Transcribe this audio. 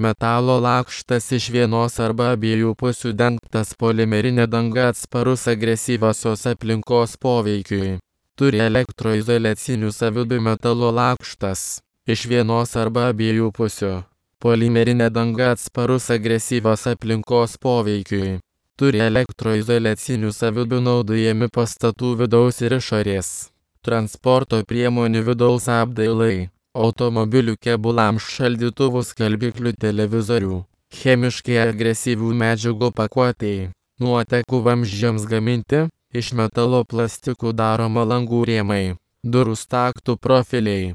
Metalo lakštas iš vienos arba abiejų pusių dengtas polimerinė danga atsparus agresyviosios aplinkos poveikiui. Turi elektroizoliacinių savybių metalo lakštas iš vienos arba abiejų pusių. Polimerinė danga atsparus agresyvios aplinkos poveikiui. Turi elektroizoliacinių savybių naudojami pastatų vidaus ir išorės. Transporto priemonių vidaus apdailai. Automobilių kėbulams, šaldytuvų, skalbiklių, televizorių. Chemiškai agresyvių medžiagų pakuotei. Nuotekų vamzdžiams gaminti. Iš metalo plastikų daroma langų rėmai. Durų staktų profiliai.